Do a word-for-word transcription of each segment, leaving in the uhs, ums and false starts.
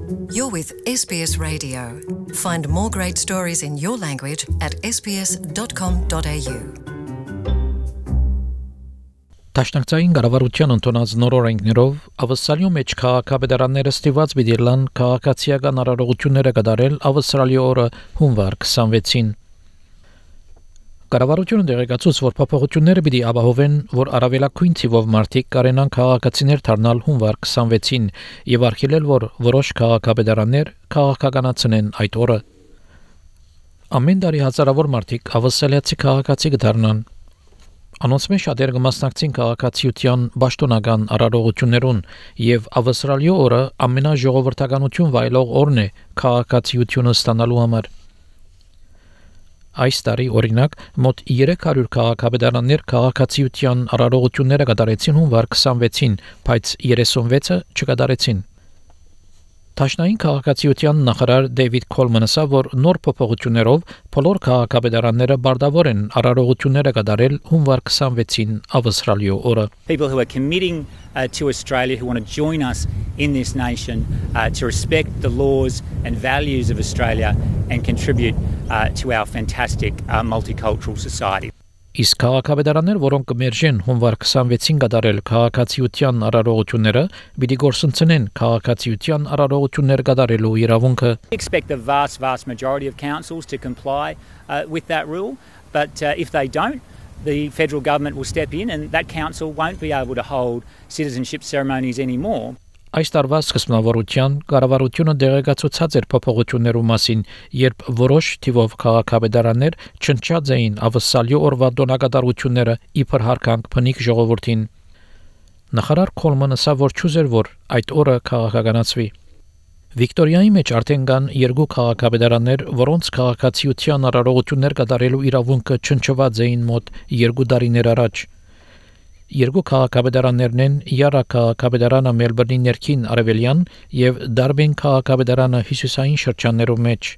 You're with S B S Radio. Find more great stories in your language at s b s dot com dot a u. Տաշնակցային կառավարության ընդունած նոր օրենքներով Ավստրալիո մեջ քաղաքապետարանները ստիված բիդիրլան քաղաքացիական արարողությունները կդարել Ավստրալիո օրը հունվար քսանվեցին։ Կառավարությունը դերեկացուց, որ փոփոխությունները պիտի ապահովեն, որ առավելագույն թիվով մարդիկ կարենան քաղաքացիներ դառնալ հունվար քսանվեցին եւ արգելել, որ որոշ քաղաքապետարաններ քաղաքականացնեն այդ օրը։ Ամեն տարի հազարավոր մարդիկ ավստրալիացի քաղաքացի կդառնան։ Անոնց մեջ շատերը կմասնակցին քաղաքացիության պաշտոնական արարողություններուն եւ Ավստրալիո օրը ամենաժողովրդականություն վայելող օրն է քաղաքացիությունը ստանալու համար։ Այս տարի օրինակ մոտ երեք հարյուր քաղաքապետարաններ քաղաքացիության արարողությունները կատարեցին հունվար քսանվեցին, բայց երեսունվեցը չկատարեցին։ Տաշնային քաղաքացիության նախարար Դեյվիդ Քոլմանը ասավ, որ նոր փոփոխություններով բոլոր քաղաքապետարանները բարդավոր են արարողությունները կատարել հունվար քսանվեցին Ավստրալիո օրը։ People who are committing uh, to Australia, who want to join us in this nation, uh, to respect the laws and values of Australia and contribute uh, to our fantastic uh, multicultural society. Իսկ քաղաքապետարաններ, որոնք կմերժեն հունվար քսանվեցին կատարել քաղաքացիության արարողությունները, պիտի գործընծնեն քաղաքացիության արարողություններ կատարելու իրավունքը։ We expect the vast, vast majority of councils to comply uh, with that rule, but uh, if they don't, the federal government will step in and that council won't be able to hold citizenship ceremonies anymore. Այս տարվա սկզբնավորության կառավարությունը դեղեկացուցած էր փոփոխություններու մասին, երբ որոշ թիվով քաղաքապետարաններ չնչած էին Ավստրալիո օրվա դոնակատարությունները իբր հարկանք փնիկ ժողովրդին։ Նախարար Քոլմանը ասավ, որ չուզեր, որ այդ օրը քաղաքականացվի։ Վիկտորիայի մեջ արդեն կան երկու քաղաքապետարաններ, որոնց քաղաքացիության արարողություններ կատարելու իրավունքը չնչված էին մոտ երկու տարիներ առաջ։ Երկու քաղաքապետարաններն են Յարա քաղաքապետարանը Մելբուրնի ներքին արևելյան եւ Դարբին քաղաքապետարանը հյուսիսային շրջաններում մեջ։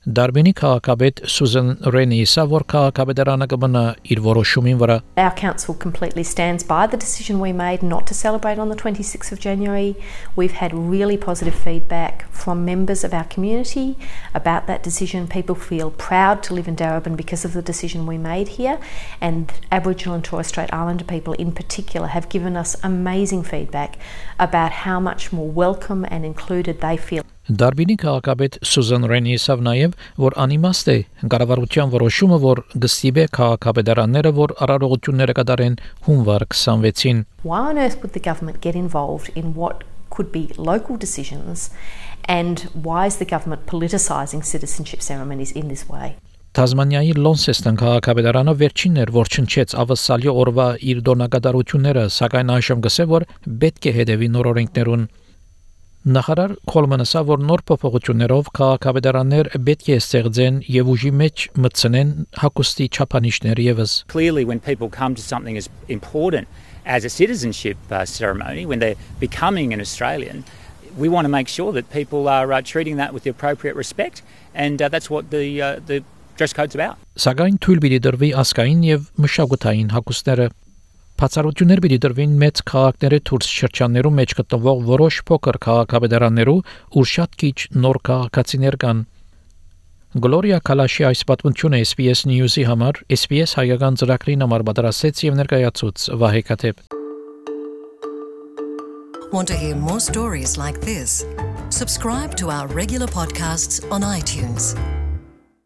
Դարբինի քաղաքապետ Սուզան Ռենի սավոր քաղաքապետարանը կմնա իր որոշումին վրա։ Our council completely stands by the decision we made not to celebrate on the twenty-sixth of January. We've had really positive feedback from members of our community about that decision. People feel proud to live in Darebin because of the decision we made here, and Aboriginal and Torres Strait Islander people in particular have given us amazing feedback about how much more welcome and included they feel. Դարբինի քաղաքապետ Սուզան Ռենի ասավ նաև, որ անիմաստ է կառավարության որոշումը, որ գստիբե քաղաքապետարանները, որ արարողությունները կատարեն հունվար քսանվեցին։ Why on earth would the government get involved in what could be local decisions, and why is the government politicising citizenship ceremonies in this way? Թազմանիայի Լոնսեստոն քաղաքապետարանը վերջինն էր, որ չնչեց Ավստրալիո օրվա իր դոնակատարությունները, սակայն այժմ գսե, որ պետք է հետևի նոր օրենքներուն։ Նախարար Քոլմանը ասավ, որ նոր փոփոխություններով քաղաքապետարաններ պետք է ստեղծեն եւ ուժի մեջ մտցնեն հակոստի չափանիշներ եւս։ Clearly, when people come to something as important as a citizenship uh, ceremony, when they're becoming an Australian, we want to make sure that people are uh, treating that with the appropriate respect, and uh, that's what the uh, the dress code's about. Սակայն թույլ պիտի դրվի ասկային եւ մշակութային հակոստները։ Բացառություններ պիտի դրվին մեծ քաղաքների դուրս շրջաններում մեջ գտնվող որոշ փոքր քաղաքապետարաններու, ուր շատ քիչ նոր քաղաքացիներ կան։ Գլորիա Կալաշի այս պատմությունը S B S News-ի համար S B S հայկական ծրագրին համար պատրաստեց եւ ներկայացուց Վահե Կաթեփ։ Want to hear more stories like this? Subscribe to our regular podcasts on iTunes.